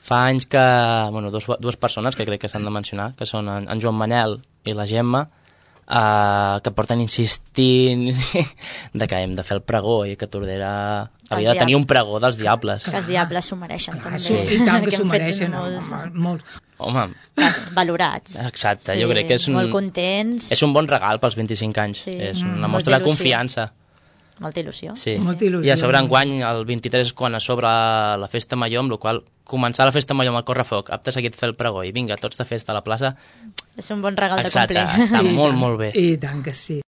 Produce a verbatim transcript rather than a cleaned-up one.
fa anys que, bueno, dos, dues persones que crec que s'han de mencionar, que són en, en Joan Manel i la Gemma, Uh, que porten insistint de que hem de fer el pregó i que Tordera havia de tenir un pregó dels diables. Que els diables s'ho mereixen també. Sí, i tant que s'ho mereixen, molts... molts. Home, valorats. Exacte, sí, jo crec que és un, molt contents. És un bon regal pels vint-i-cinc anys. Sí. És una mm, mostra de confiança. Molta il·lusió. Sí. Sí. Molta il·lusió. I a sobre enguany, el vint-i-tres, quan a sobre la festa major, amb la qual començar la festa major amb el correfoc, apte seguit fer el pregó i vinga, tots de festa a la plaça. És un bon regal Exacte, de complir. està molt, molt bé. I tant que sí.